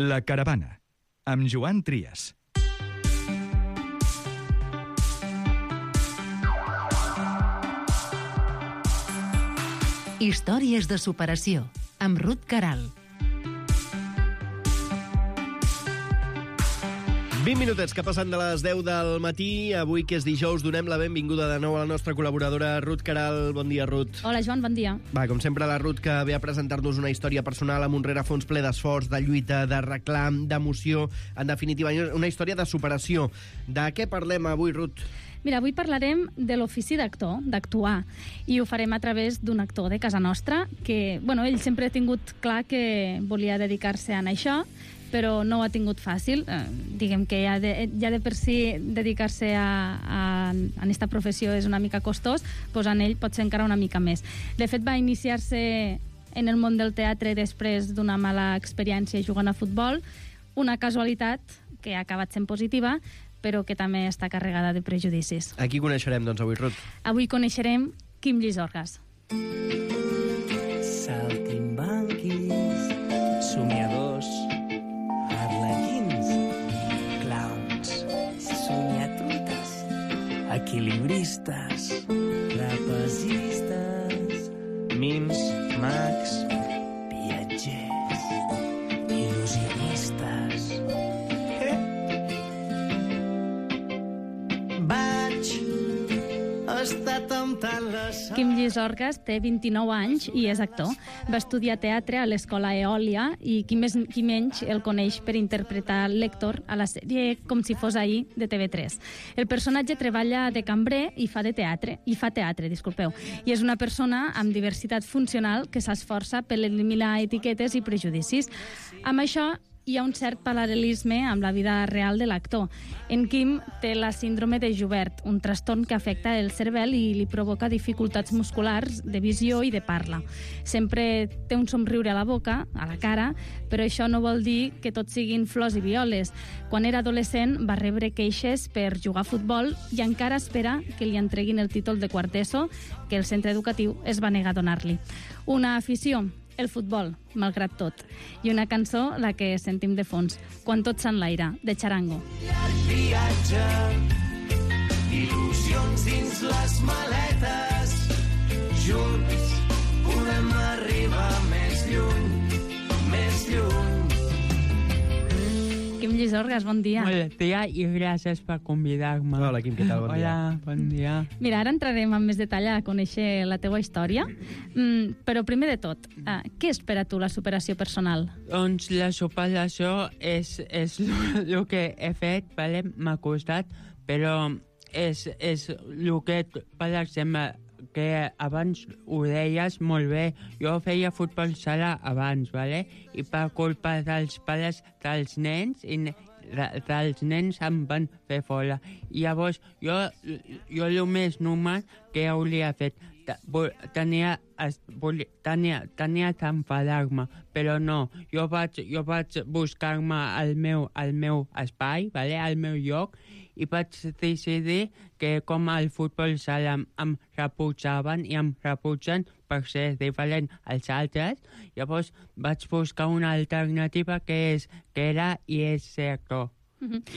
La Caravana, amb Joan Trias. Històries de superació, amb Ruth Caral. 20 minutets que passen de les 10 del matí. Avui, que és dijous, donem la benvinguda de nou a la nostra col·laboradora Ruth Caral. Bon dia, Ruth. Hola, Joan, bon dia. Va, com sempre, la Ruth, que ve a presentar-nos una història personal amb un rerefons ple d'esforç, de lluita, de reclam, d'emoció. En definitiva, una història de superació. De què parlem avui, Ruth? Mira, avui parlarem de l'ofici d'actor, d'actuar, i ho farem a través d'un actor de casa nostra que, ell sempre ha tingut clar que volia dedicar-se a això, però no ho ha tingut fàcil. Diguem que ja de per si dedicar-se a aquesta professió és una mica costós, doncs en ell pot ser encara una mica més. De fet, va iniciar-se en el món del teatre després d'una mala experiència jugant a futbol, una casualitat que ha acabat sent positiva, però que també està carregada de prejudicis. A qui coneixerem, doncs, avui, Ruth? Avui coneixerem Quim Llisorgas. Saltimbanquis, somiadors, arlequins, clowns, somiatrutes, equilibristes, trapezistes, mims, mags, viatgers, il·lusionistes. Quim Llisorgas té 29 anys i és actor. Va estudiar teatre a l'Escola Eòlia i qui menys el coneix per interpretar l'Héctor a la sèrie Com si fos ahir de TV3. El personatge treballa de cambrer i fa teatre, i és una persona amb diversitat funcional que s'esforça per eliminar etiquetes i prejudicis. Amb això hi ha un cert paral·lelisme amb la vida real de l'actor. En Quim té la síndrome de Joubert, un trastorn que afecta el cervell i li provoca dificultats musculars, de visió i de parla. Sempre té un somriure a la boca, a la cara, però això no vol dir que tot siguin flors i violes. Quan era adolescent va rebre queixes per jugar a futbol i encara espera que li entreguin el títol de quart ESO, que el centre educatiu es va negar a donar-li. Una afició, el futbol, malgrat tot. I una cançó, la que sentim de fons, Quan tot s'enlaira, de Charango. Llarg viatge, il·lusions dins les maletes, junts podem arribar més lluny, més lluny. Quim Llisorgas, bon dia. Bon dia i gràcies per convidar-me. Hola, Quim, què tal? Bon dia. Hola, bon dia. Mira, ara entrarem en més detall a conèixer la teua història, però primer de tot, què és per a tu la superació personal? Doncs la superació és el que he fet, vale? M'ha costat, però és el que, per exemple, que abans ho deies molt bé. Jo feia futbol sala abans, vale? I per culpa dels pares dels nens em van fer fora. I llavors jo el més normal que hauria fet tenia d'enfadar-me, però no. Jo vaig buscar-me el meu espai, vale? El meu lloc, i vaig decidir que com el futbol sala em rebutjaven i em rebutgen per ser diferent als altres, llavors vaig buscar una alternativa que era i és ser actor.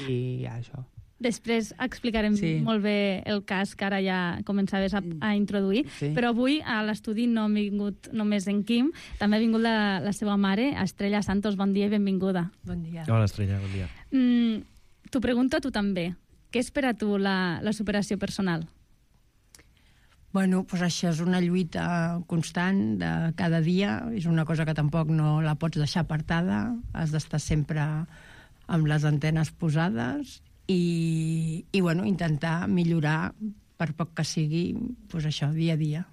I això. Després explicarem molt bé el cas que ara ja començaves a introduir, però avui a l'estudi no ha vingut només en Quim, també ha vingut la seva mare, Estrella Santos. Bon dia i benvinguda. Bon dia. Hola, Estrella, bon dia. T'ho pregunto a tu també. Què és per a tu la superació personal? Bueno, doncs això és una lluita constant de cada dia, és una cosa que tampoc no la pots deixar apartada, has d'estar sempre amb les antenes posades i intentar millorar, per poc que sigui, doncs això, dia a dia.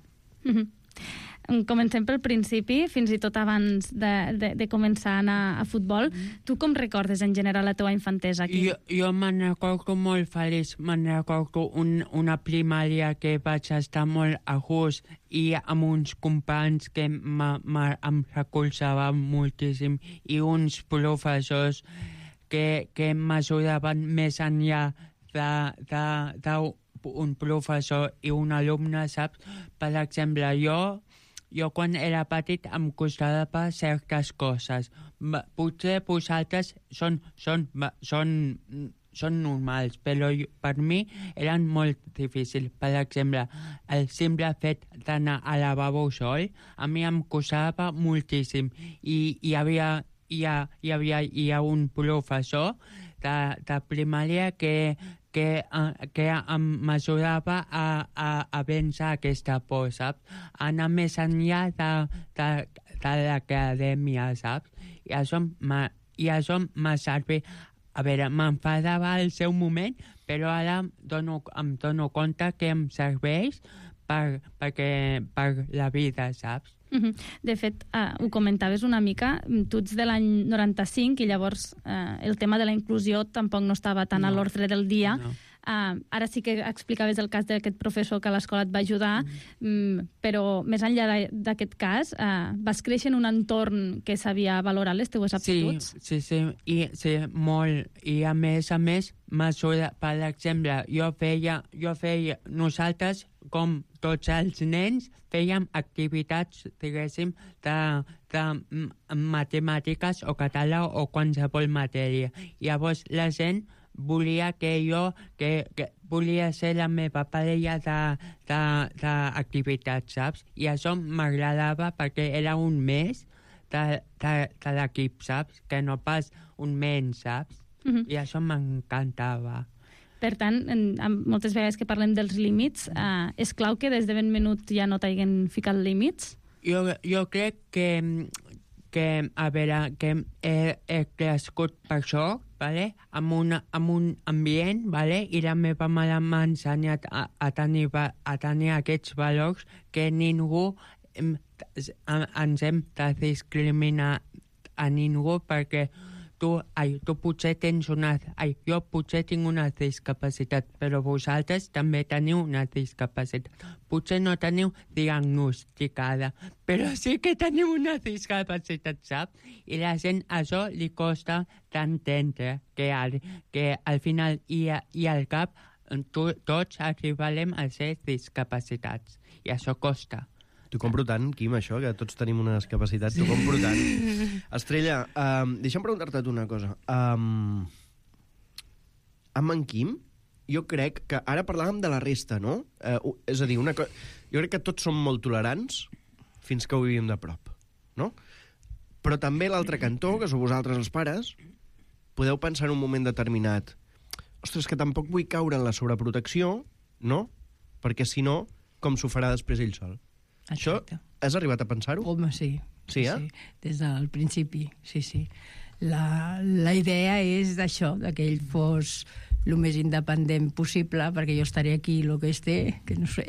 Comencem pel principi, fins i tot abans de començar a anar a futbol. Tu com recordes en general la teva infantesa aquí? Jo me'n recordo molt feliç, me'n recordo una primària que vaig estar molt a gust i amb uns companys que em recolzaven moltíssim i uns professors que m'ajudaven més enllà d'un professor i un alumne, saps? Per exemple, jo jo quan era petit em costava certes coses. Potser vosaltres són normals, però per mi eren molt difícils. Per exemple, el simple fet d'anar al lavabo sol, a mi em costava moltíssim. I hi havia un professor de primària que em m'ajudava a vèncer aquesta por, saps? Anar més enllà de l'acadèmia, saps? I això m'ha servit. A veure, m'enfadava al seu moment, però ara em dono compte que em serveix per la vida, saps? De fet, ho comentaves una mica, tu ets de l'any 95 i llavors el tema de la inclusió tampoc no estava tan a l'ordre del dia. No. Ara sí que explicaves el cas d'aquest professor que a l'escola et va ajudar, però més enllà d'aquest cas, vas créixer en un entorn que sabia valorar les teues aptituds? Sí, molt. I a més, m'ajuda, per exemple, nosaltres, com tots els nens, fèiem activitats, diguéssim, de matemàtiques o català o qualsevol matèria. Llavors, la gent volia que volia ser la meva parella d'activitats, saps? I això m'agradava perquè era un més de l'equip, saps? Que no pas un menys, saps? I això m'encantava. Per tant, moltes vegades que parlem dels límits, és clau que des de ben menut ja no t'hagin ficat límits? Jo crec que a veure, que he crescut per això, vale? amb un ambient, vale? I la meva mare m'ha ensenyat a tenir aquests valors que ningú ens hem de discriminar a ningú perquè tu potser tens jo potser tinc una discapacitat, però vosaltres també teniu una discapacitat. Potser no teniu diagnosticada, però sí que teniu una discapacitat, saps? I la gent això li costa d'entendre que al final i al cap tots arribarem a ser discapacitats. I això costa. T'ho compro tant, Quim, això, que tots tenim una discapacitat. T'ho compro tant. Estrella, deixa'm preguntar-te una cosa. Amb en Quim, jo crec que... Ara parlàvem de la resta, no? És a dir, jo crec que tots som molt tolerants fins que ho vivim de prop, no? Però també l'altre cantó, que sou vosaltres els pares, podeu pensar en un moment determinat ostres, que tampoc vull caure en la sobreprotecció, no? Perquè, si no, com s'ho farà després ell sol? Exacte. Això, has arribat a pensar-ho? Home, sí. Sí, sí. Des del principi, sí. La idea és d'això, que ell fos el més independent possible, perquè jo estaré aquí el que esté, que no sé.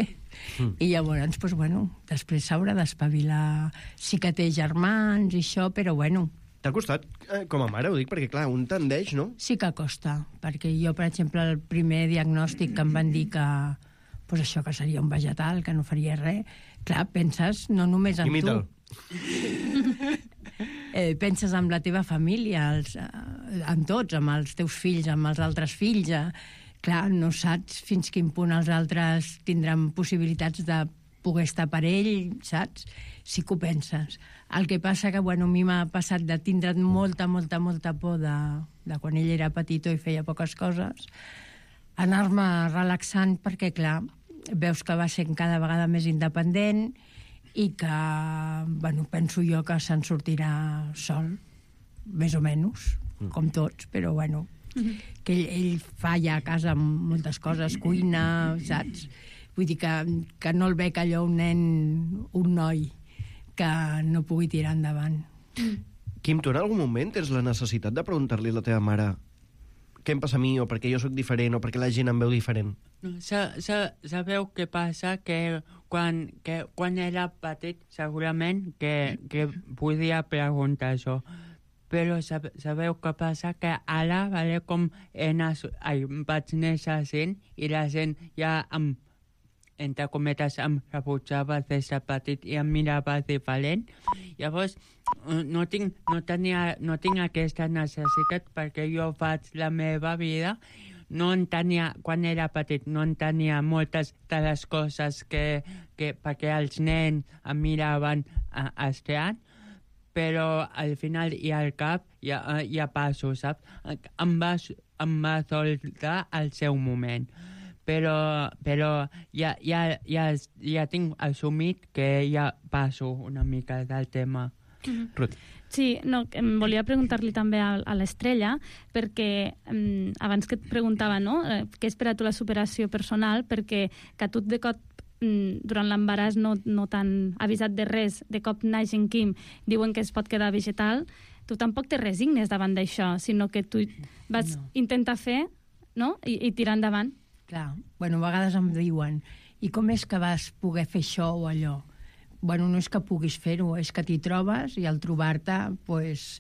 I llavors, doncs, bueno, després s'haurà d'espavilar. Sí que té germans i això, però bueno. T'ha costat, com a mare, ho dic, perquè clar, un tendeix, no? Sí que costa, perquè jo, per exemple, el primer diagnòstic que em van dir que pues això, que seria un vegetal, que no faria res, clar, penses no només en tu. Penses en la teva família, en tots, amb els teus fills, amb els altres fills. Clar, no saps fins quin punt els altres tindran possibilitats de poder estar per ell, saps? Sí que ho penses. El que passa que, bueno, a mi m'ha passat de tindre molta por de quan ell era petitó i feia poques coses, anar-me relaxant perquè, clar, veus que va sent cada vegada més independent i que, bueno, penso jo que se'n sortirà sol, més o menys, com tots, però, bueno, que ell fa ja a casa moltes coses, cuina, saps? Vull dir que no el veig allò un nen, un noi, que no pugui tirar endavant. Quim, tu en algun moment tens la necessitat de preguntar-li a la teva mare què em passa a mi, o perquè jo sóc diferent, o perquè la gent em veu diferent? Sabeu què passa? Que quan era petit segurament que podia preguntar això. Però sabeu què passa? Que ara, vale, com vaig néixer sent i la gent ja entre cometes em rebutjava des de petit i em mirava diferent. Llavors no tinc aquesta necessitat perquè jo faig la meva vida, no entenia, quan era petit, no entenia moltes de les coses perquè els nens em miraven estrany, però al final i al cap ja passo, saps? Em va soltar al seu moment. Però ja tinc assumit que ja passo una mica del tema. Ruth. Sí, no, em volia preguntar-li també a l'Estrella, perquè abans que et preguntava, no?, què és per a tu la superació personal, perquè que tu de cop, durant l'embaràs no t'han avisat de res, de cop naix en Quim, diuen que es pot quedar vegetal, tu tampoc te resignes davant d'això, sinó que tu vas intentar fer, no?, i tirar endavant. Clar, bueno, a vegades em diuen, i com és que vas poder fer això o allò? Bueno, no és que puguis fer-ho, és que t'hi trobes i al trobar-te, pues,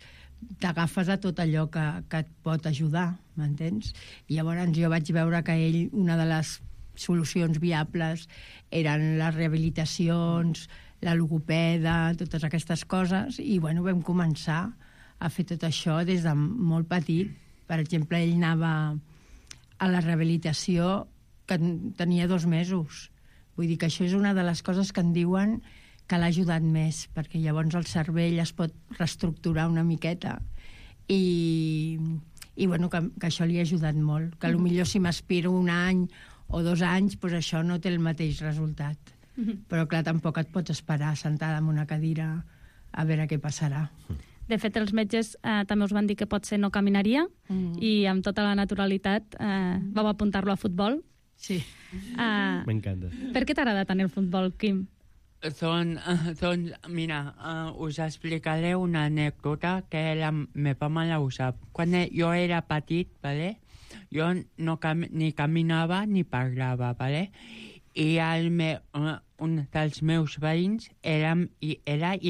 t'agafes a tot allò que et pot ajudar, m'entens? I llavors jo vaig veure que ell, una de les solucions viables eren les rehabilitacions, la logopeda, totes aquestes coses, i bueno, vam començar a fer tot això des de molt petit. Per exemple, ell anava a la rehabilitació que tenia 2 mesos. Vull dir que això és una de les coses que en diuen que l'ha ajudat més, perquè llavors el cervell es pot reestructurar una miqueta i bueno, que això li ha ajudat molt. Que potser si m'aspiro 1 any o 2 anys, pues això no té el mateix resultat. Però clar, tampoc et pots esperar sentada en una cadira a veure què passarà. De fet, els metges també us van dir que potser no caminaria i amb tota la naturalitat vau apuntar-lo a futbol. Sí. M'encanta. Per què t'agrada tant el futbol, Quim? Doncs, mira, us explicaré una anècdota que la meva mare ho sap. Quan jo era petit, ¿vale? Jo ni caminava ni parlava, ¿vale? I un dels meus veïns era i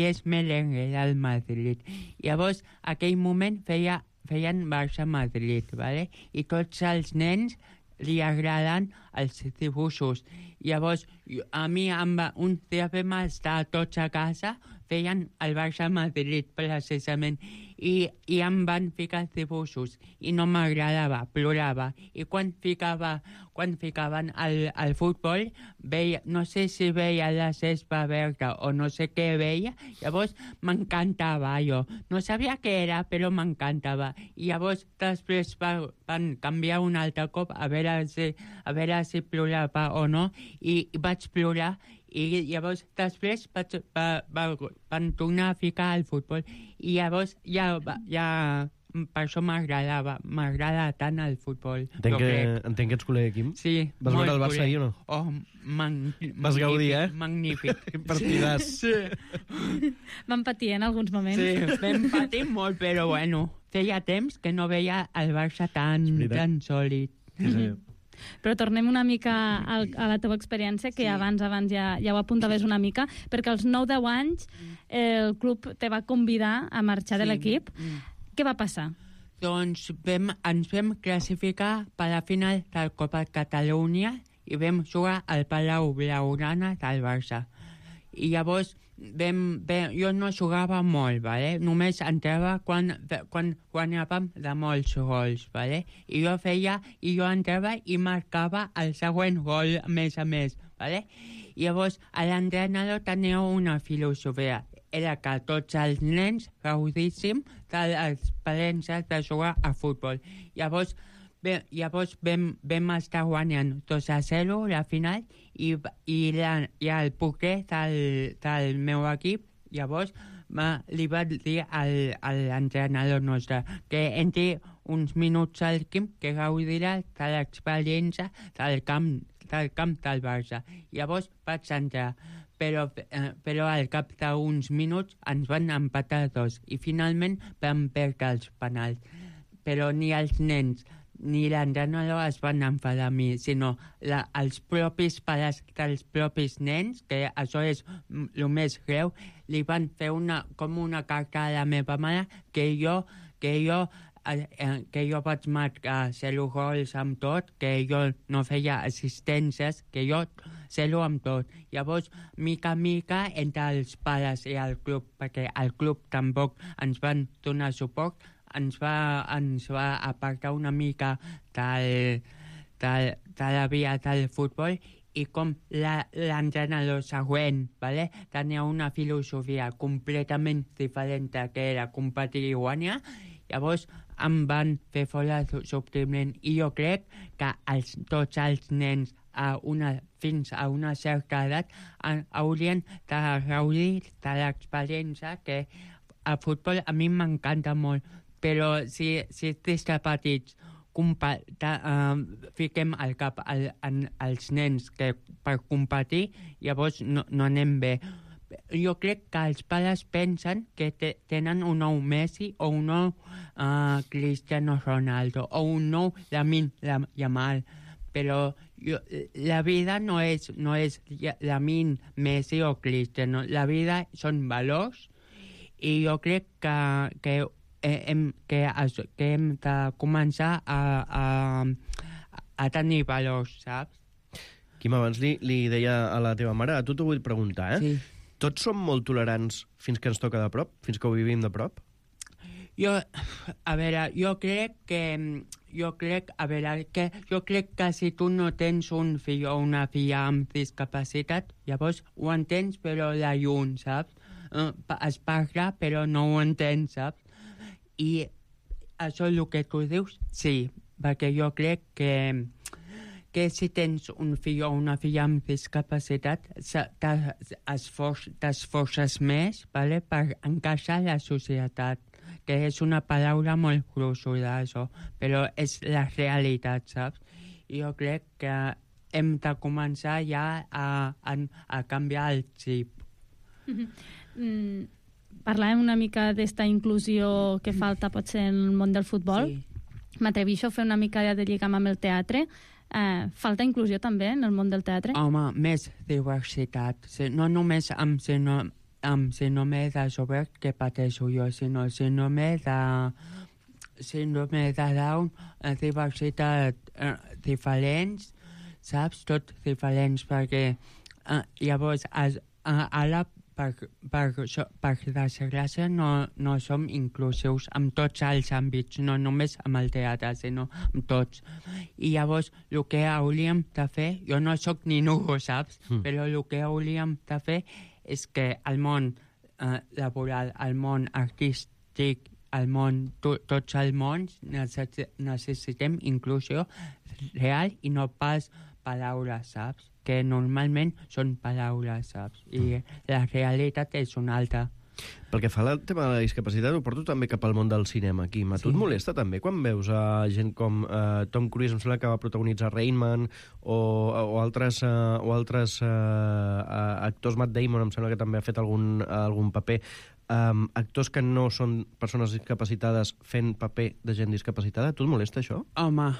és merengue del Madrid. Llavors, aquell moment feien Barça-Madrid, ¿vale? I tots els nens li agraden els dibuixos. Llavors, a mi un dia vam estar tots a casa, feien el Barça-Madrid, precisament, i em van ficar dibuixos, i no m'agradava, plorava. I quan ficaven al futbol, no sé si veia la cespa verda o no sé què veia, llavors m'encantava allò. No sabia què era, però m'encantava. I llavors després van canviar un altre cop a veure si plorava o no, i vaig plorar, i llavors després van tornar a ficar al futbol i llavors ja per això m'agrada tant el futbol. Entenc que ets col·lega, Quim. Sí. Vas veure el Barça ahir o no? Oh, magnífic. Vas gaudir, Magnífic. Partidàs. Sí. Vam patir en alguns moments. Sí, vam patir molt, però bueno, feia temps que no veia el Barça tan sòlid. Sí. Però tornem una mica a la teva experiència, que abans ja ho apuntaves una mica, perquè als 9-10 anys el club te va convidar a marxar de l'equip. Què va passar? Doncs ens vam classificar per la final del Copa Catalunya i vam jugar al Palau Blaugrana del Barça. I llavors jo no jugava molt, ¿vale? Només entrava quan guanyàvem de molts gols, ¿vale? I jo entrava i marcava el següent gol més a més, ¿vale? I llavors l'entrenador tenia una filosofia, era que tots els nens gaudíssim de l'experiència de jugar a futbol. Llavors vam estar guanyant 2-0 la final i el porter del meu equip llavors li va dir a l'entrenador nostre que entri uns minuts al Quim que gaudirà de l'experiència del camp del Barça. Llavors vaig entrar, però al cap d'uns minuts ens van empatar 2 i finalment vam perdre els penals. Però ni els nens ni l'entrenador es van enfadar a mi, sinó els propis pares dels propis nens, que això és el més greu, li van fer com una carta a la meva mare que jo vaig marcar 0 gols amb tot, que jo no feia assistències, que jo 0 amb tot. Llavors, mica en mica, entre els pares i el club, perquè el club tampoc ens van donar suport, ens va apartar una mica de la via del futbol i com l'entrenador següent, ¿vale? Tenia una filosofia completament diferent que era competir i guanyar, llavors em van fer fora subtilment i jo crec que tots els nens fins a una certa edat haurien de gaudir de l'experiència que el futbol a mi m'encanta molt, però si des de petits fiquem al cap als nens que per competir, llavors no anem bé. Jo crec que els pares pensen que tenen un nou Messi o un nou Cristiano Ronaldo o un nou Lamine Yamal, però la vida no és Lamine, Messi o Cristiano. La vida són valors i jo crec que hem de començar a tenir valors, saps? Quim, abans li deia a la teva mare, a tu t'ho vull preguntar, Sí. Tots som molt tolerants fins que ens toca de prop? Fins que ho vivim de prop? Jo crec que si tu no tens un fill o una filla amb discapacitat, llavors ho entens però de lluny, saps? Es parla però no ho entens, saps? I això és el que tu dius, sí, perquè jo crec que si tens un fill o una filla amb discapacitat t'esforces més, ¿vale? Per encaixar a la societat, que és una paraula molt gruixuda, això, però és la realitat, saps? I jo crec que hem de començar ja a canviar el xip. Parlàvem una mica d'esta inclusió que falta potser en el món del futbol. Sí. M'atreveixo a fer una mica de lligam amb el teatre. Falta inclusió també en el món del teatre? Home, més diversitat. No només amb síndrome de Sober que pateixo jo, sinó síndrome de Down, diversitat diferents, saps? Tot diferents, perquè llavors ara per desgràcia no som inclusius en tots els àmbits, no només amb el teatre, sinó amb tots. I llavors el que hauríem de fer, jo no sóc ningú, saps? Però el que hauríem de fer és que el món laboral, el món artístic, tots els mons necessitem inclusió real i no pas paraules, saps? Que normalment són paraules, saps? I la realitat és una altra. Pel que fa al tema de la discapacitat, ho porto també cap al món del cinema, Quim. A tu et molesta també quan veus gent com Tom Cruise, em sembla que va protagonitzar Rain Man, o altres actors, Matt Damon, em sembla que també ha fet algun paper, actors que no són persones discapacitades fent paper de gent discapacitada? A tu et molesta això? Home,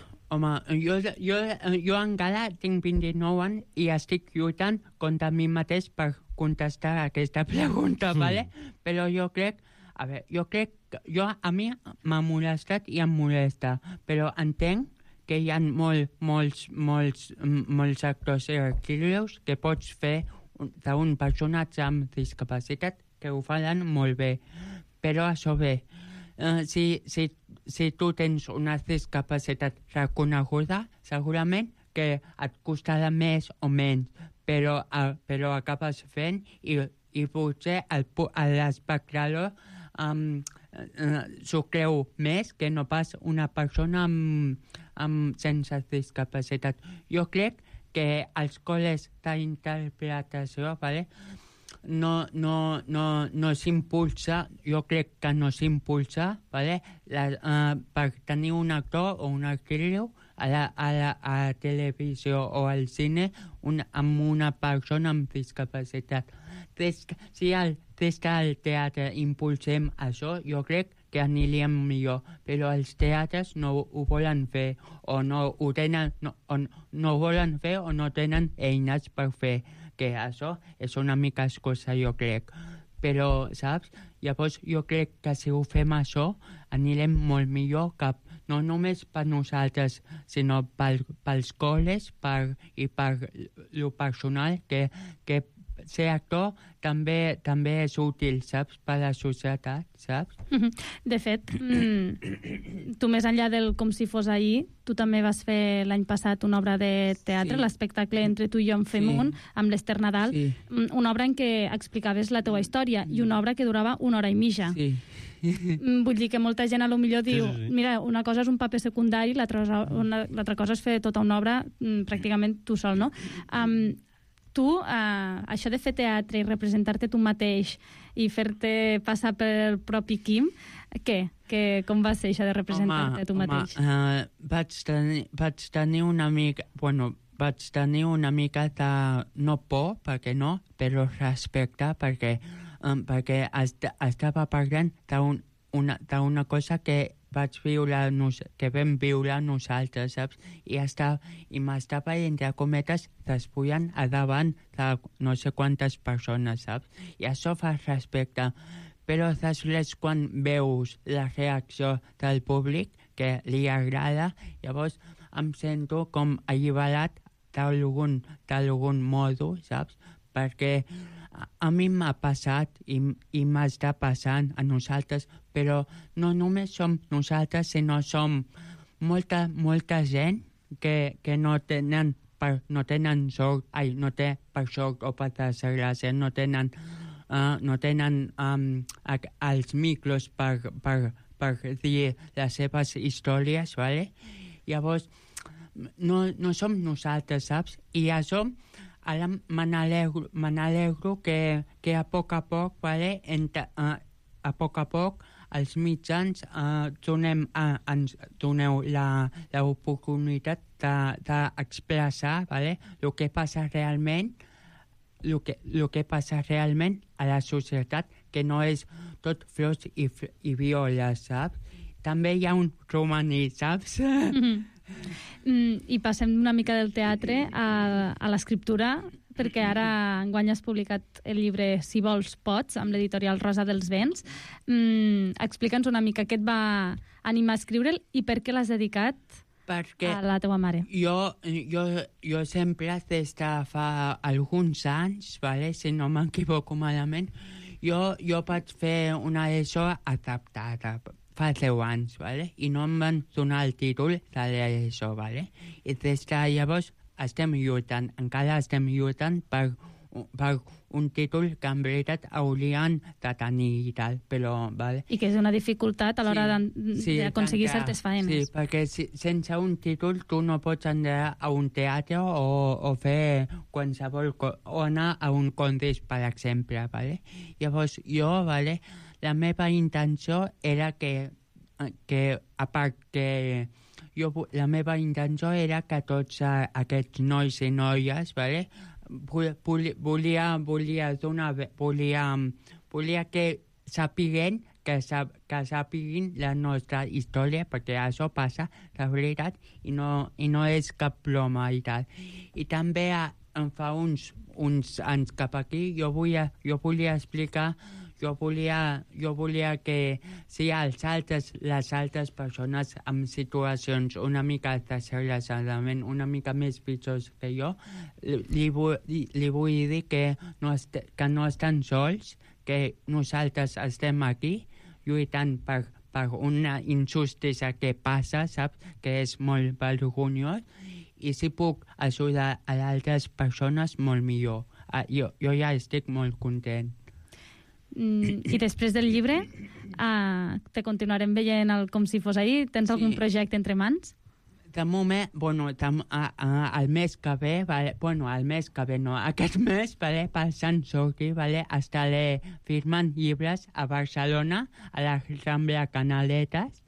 jo encara tinc 29 anys i estic lluitant contra mi mateix per contestar aquesta pregunta, ¿vale? Però jo crec a mi m'ha molestat i em molesta, però entenc que hi ha molts actors i actrius que pots fer d'un personatge amb discapacitat que ho faran molt bé. Però això bé, si tu tens una discapacitat reconeguda, segurament que et costarà més o menys, però acabes fent i potser l'espectador s'ho creu més que no pas una persona sense discapacitat. Jo crec que els col·les d'interpretació, ¿vale? no s'impulsa, jo crec que no s'impulsa, ¿vale? Per tenir un actor o una actriu a la televisió o al cine amb una persona amb discapacitat. Si des del teatre impulsem això, jo crec que aniríem millor, però els teatres no ho volen fer o no ho tenen, no volen fer o no tenen eines per fer, que això és una mica excusa, jo crec. Però, saps? Llavors jo crec que si ho fem això anirem molt millor no només per nosaltres, sinó pels col·les i per lo personal que ser actor també és útil, saps, per a la societat, saps? De fet, tu més enllà del Com si fos ahir, tu també vas fer l'any passat una obra de teatre, Sí. l'espectacle Entre tu i jo en fem Sí. un, amb l'Ester Nadal, Sí. una obra en què explicaves la teua història i una obra que durava 1 hora i mitja. Sí. Vull dir que molta gent a lo millor diu sí. mira, una cosa és un paper secundari, l'altra cosa és fer tota una obra pràcticament tu sol, no? Tu, això de fer teatre i representar-te tu mateix i fer-te passar pel propi Quim, com va ser això de representar-te tu mateix? Vaig tenir una mica... Bueno, vaig tenir una mica de... No por, perquè no, però respecte, perquè estava parlant d'una cosa que vaig viure, que vam viure nosaltres, saps? I m'estava, entre cometes, despullant a davant de no sé quantes persones, saps? I això fa respecte. Però després, quan veus la reacció del públic, que li agrada, llavors em sento com alliberat d'algun modo, saps? Perquè a mi m'ha passat i m'està passant a nosaltres, però no només som nosaltres, sinó som molta gent que no tenen sort, no té per sort o per desgràcia, no tenen els micros per dir les seves històries, ¿vale? Llavors, no som nosaltres, saps? I això, ara me n'alegro que a poc a poc, ¿vale? A poc a poc, els mitjans ens doneu l'oportunitat d'expressar, ¿vale? el que passa realment a la societat, que no és tot flors i violes, saps? També hi ha un romaní, saps? I passem una mica del teatre a l'escriptura, perquè ara enguany has publicat el llibre Si vols pots, amb l'editorial Rosa dels Vents. Explica'ns una mica què et va animar a escriure'l i per què l'has dedicat a la teua mare. Jo sempre, des de fa alguns anys, ¿vale? Si no m'equivoco malament, jo vaig fer una ESO adaptada fa 10 anys, ¿vale? I no em van donar el títol de l'ESO, ¿vale? I des de llavors encara estem lluitant per un títol que en veritat haurien de tenir i tal, però... Vale? I que és una dificultat a l'hora d'aconseguir certes faenes. Sí, perquè sense un títol tu no pots anar a un teatre o fer qualsevol o anar a un concurs, per exemple, vale? Llavors jo, vale, la meva intenció era que a part que la meva intenció era que tots aquests nois i noies, vale, volia que sapiguin la nostra història, perquè això passa de veritat i no és cap broma i tal. I també fa uns anys cap aquí jo volia explicar, jo volia que si les altres persones en situacions una mica desgraciadament, una mica més pitjors que jo, li vull dir que no estan sols, que nosaltres estem aquí lluitant per una injustícia que passa, saps? Que és molt vergonyós, i si puc ajudar a altres persones, molt millor. Jo ja estic molt content. I després del llibre te continuarem veient Com si fos ahir. Tens algun projecte entre mans? De moment, el mes que ve, aquest mes, per Sant Jordi, estaré firmant llibres a Barcelona, a la Rambla Canaletes,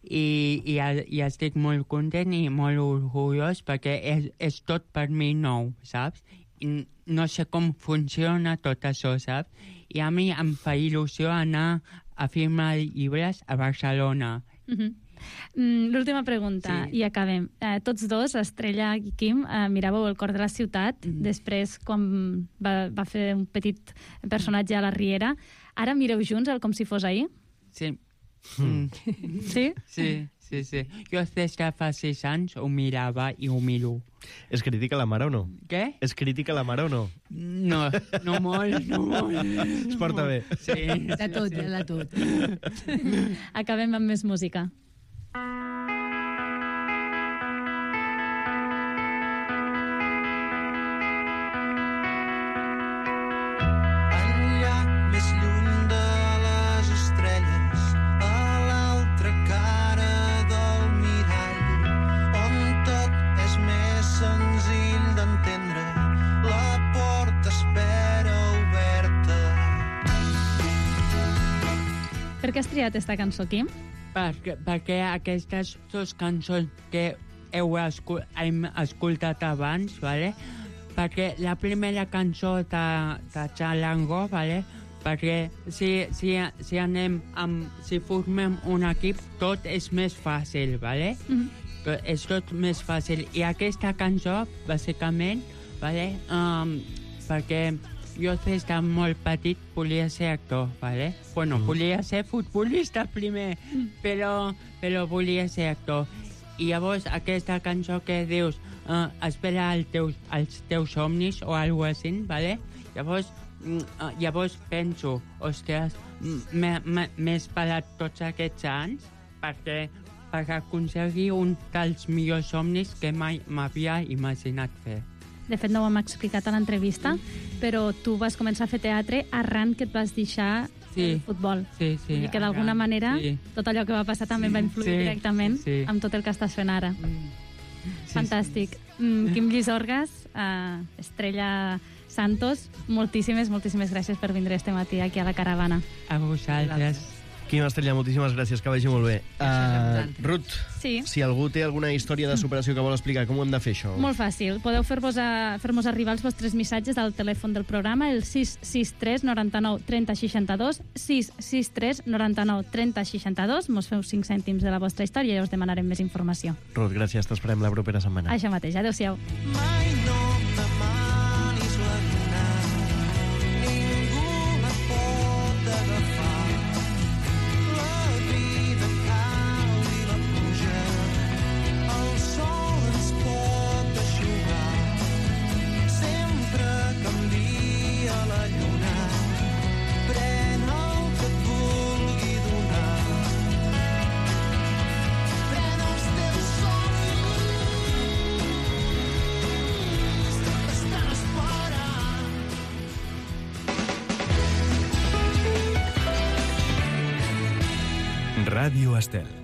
i estic molt content i molt orgullós perquè és tot per mi nou, saps? I no sé com funciona tot això, saps? I a mi em fa il·lusió anar a firmar llibres a Barcelona. L'última pregunta, i acabem. Tots dos, Estrella i Quim, miràveu El cor de la ciutat, després quan va fer un petit personatge a la Riera. Ara mireu junts el Com si fos ahir? Sí. Sí? Sí. Sí, sí. Jo des de fa 6 anys ho mirava i ho miro. És crítica la mare o no? Què? És crítica la mare o no? No, no molt, no molt. Es porta bé. Sí. De tot, de tot. Acabem amb més música. Enllà, més lluny de les estrelles, a l'altra cara del mirall, on tot és més senzill d'entendre, la porta espera oberta. Per què has triat esta cançó, Quim? Perquè aquestes dues cançons que hem escoltat abans, vale? Perquè la primera cançó de Chalango, vale? Perquè si anem si formem un equip, tot és més fàcil, vale? És tot més fàcil. I aquesta cançó, bàsicament, vale? Perquè jo des de molt petit volia ser actor, vale? Bueno, volia ser futbolista primer, però volia ser actor. I llavors aquesta cançó que dius espera els teus somnis o alguna cosa així, vale? Llavors penso, ostres, m'he esperat tots aquests anys per aconseguir un dels millors somnis que mai m'havia imaginat fer. De fet, no ho hem explicat a l'entrevista, però tu vas començar a fer teatre arran que et vas deixar el futbol. Sí, sí. I que d'alguna manera tot allò que va passar també va influir directament amb tot el que estàs fent ara. Fantàstic. Quim Llisorgas, Estrella Santos, moltíssimes gràcies per vindre este matí aquí a la caravana. A vosaltres. Quim Estrella, moltíssimes gràcies, que vagi molt bé. Ruth, Sí. si algú té alguna història de superació que vol explicar, com ho hem de fer, això? Molt fàcil. Podeu fer-nos arribar els vostres missatges al telèfon del programa, el 663 99 30 62, 663 99 30 62. Mos feu 5 cèntims de la vostra història i us demanarem més informació. Ruth, gràcies, t'esperem la propera setmana. Això mateix, adeu-siau. Mai no demanis la lluna, ningú la pot agafar. La vida cau i la pluja, el sol ens pot eixugar. Sempre canvia la lluna, pren el que et vulgui donar. Pren els teus somnis, t'estan esperant. Ràdio Estel.